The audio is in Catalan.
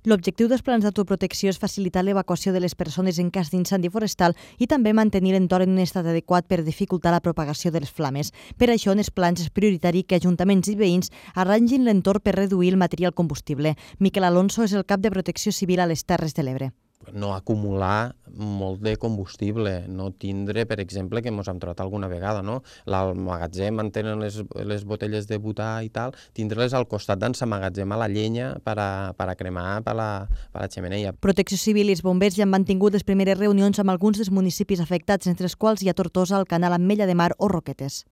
L'objectiu dels plans d'autoprotecció és facilitar l'evacuació de les persones en cas d'incendi forestal i també mantenir l'entorn en un estat adequat per dificultar la propagació de les flames. Per això, en els plans és prioritari que ajuntaments i veïns arrangin l'entorn per reduir el material combustible. Miquel Alonso és el cap de Protecció Civil a les Terres de l'Ebre. No acumular molt de combustible, no tindre, per exemple, que ens hem trobat alguna vegada, no? Al magatzem on tenen les botelles de butà i tal, tindre-les al costat d'on s'emmagatzema la llenya per a cremar per la xemeneia. Protecció Civil i els bombers ja han mantingut les primeres reunions amb alguns dels municipis afectats, entre els quals hi ha Tortosa, Alcanar, Ametlla de Mar o Roquetes.